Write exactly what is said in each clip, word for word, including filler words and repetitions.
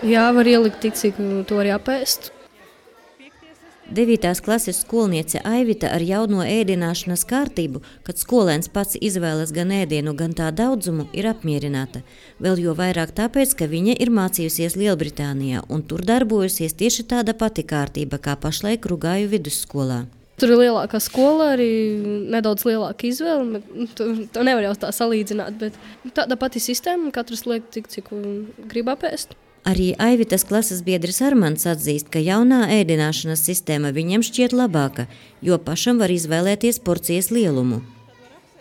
Jā, var ielikt tik, cik to arī apēst. Devītās klases skolniece Aivita ar jauno ēdināšanas kārtību, kad skolēns pats izvēlas gan ēdienu, gan tā daudzumu, ir apmierināta. Vēl jo vairāk tāpēc, ka viņa ir mācījusies Lielbritānijā un tur darbojusies tieši tāda pati kārtība kā pašlaik Rugāju vidusskolā. Tur ir lielākā skola, arī nedaudz lielāka izvēle. To, to nevar jau tā salīdzināt, bet tāda pati sistēma, katrs liek tik, cik grib apēst. Arī Aivitas klases biedris Armands atzīst, ka jaunā ēdināšanas sistēma viņam šķiet labāka, jo pašam var izvēlēties porcijas lielumu.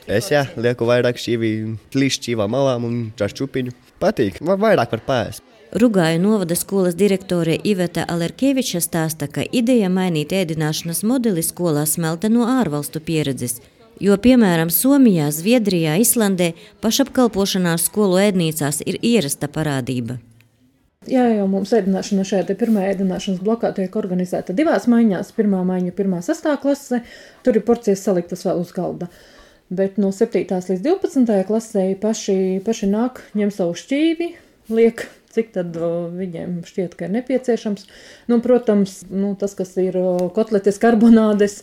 Es jā, lieku vairāk šķīvi līšķīvām malām un čašķupiņu. Patīk, vairāk var pēst. Rugāju novada skolas direktore Iveta Alerkeviča stāsta, ka ideja mainīt ēdināšanas modeli skolā smelta no ārvalstu pieredzes, jo, piemēram, Somijā, Zviedrijā, Islandē pašapkalpošanās skolu ēdnīcās ir ierasta parādība. Jā, jau mums ēdināšana šajā te pirmā ēdināšanas blokā tiek organizēta divās maiņās. Pirmā maiņa pirmā sastā klase, tur ir porcijas saliktas vēl uz galda. Bet no septītās līdz divpadsmitajai klasē paši, paši nāk, ņem savu šķīvi, liek, cik tad viņiem šķiet, ka ir nepieciešams. Nu, protams, nu, tas, kas ir kotletes, karbonādes,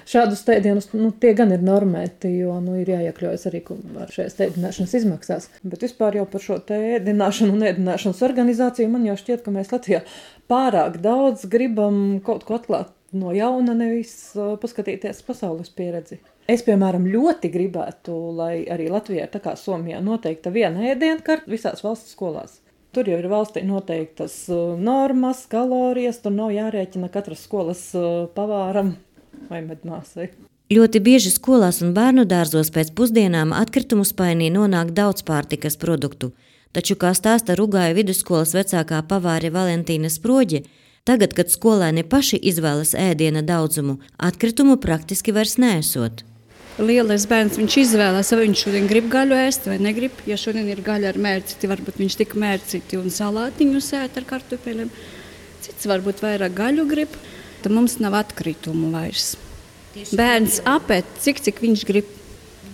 šādus ēdienus, nu, tie gan ir normēti, jo nu, ir jāiekļaujas arī ar šajās ēdināšanas izmaksās. Bet vispār jau par šo te ēdināšanu un ēdināšanas organizāciju man jau šķiet, ka mēs Latvijā pārāk daudz gribam kaut ko atklāt no jauna, nevis paskatīties pasaules pieredzi. Es, piemēram, ļoti gribētu, lai arī Latvijā, tā kā Somijā, noteikta viena ēdienkarta visās valsts skolās. Tur jau ir valstī noteiktas normas, kalorijas, tur nav jārēķina katras skolas pavāram vai medmāsai. Ļoti bieži skolās un bērnu dārzos pēc pusdienām atkritumu spainī nonāk daudz pārtikas produktu, taču, kā stāsta Rugāju vidusskolas vecākā pavāre Valentīna Sproģe, tagad, kad skolēni paši izvēlas ēdiena daudzumu, atkritumu praktiski vairs neesot. Lielais bērns, viņš izvēlās, vai viņš šodien grib gaļu ēst vai negrib. Ja šodien ir gaļa ar mērciti, varbūt viņš tik mērciti un salātiņu sēt ar kartupeļiem. Cits varbūt vairāk gaļu grib, tad mums nav atkritumu vairs. Bērns apēt, cik cik viņš grib.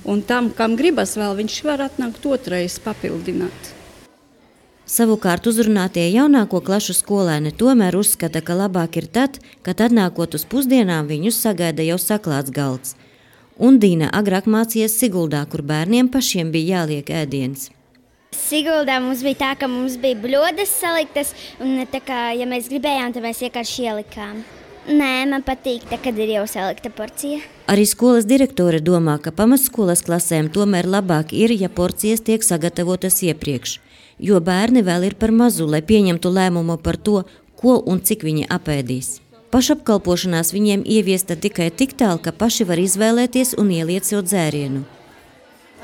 Un tam, kam gribas vēl, viņš var atnākt otrais papildināt. Savukārt uzrunātie jaunāko klašu skolēni tomēr uzskata, ka labāk ir tad, kad atnākot uz pusdienām viņus sagaida jau saklāts galds. Un Dīna agrāk mācījies Siguldā, kur bērniem pašiem bija jāliek ēdiens. Siguldā mums bija tā, ka mums bija bļodas saliktas, un tā kā, ja mēs gribējām, tad mēs vienkārši ielikām. Nē, man patīk, tā, kad ir jau salikta porcija. Arī skolas direktore domā, ka pamatskolas klasēm tomēr labāk ir, ja porcijas tiek sagatavotas iepriekš, jo bērni vēl ir par mazu, lai pieņemtu lēmumu par to, ko un cik viņi apēdīs. Pašapkalpošanās viņiem ieviesta tikai tik tālu, ka paši var izvēlēties un ieliet sev dzērienu.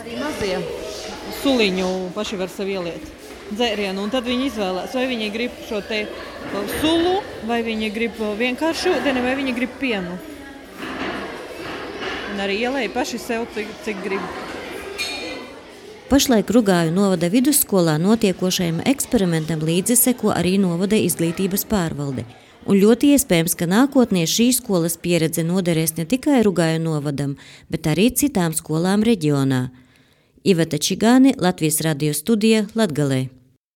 Arī mazie suliņu paši var sev ieliet dzērienu, un tad viņi izvēlēs, vai viņi grib šo te sulu, vai viņi grib vienkārši ūdeni, vai viņi grib pienu. Un arī ielēja paši sev, cik, cik grib. Pašlaik Rugāju novada vidusskolā notiekošajam eksperimentam līdzi seko arī novada izglītības pārvalde. Un ļoti iespējams, ka nākotnē šī skolas pieredze noderēs ne tikai Rugāju novadam, bet arī citām skolām reģionā. Iveta Čigāni, Latvijas radio studija, Latgalē.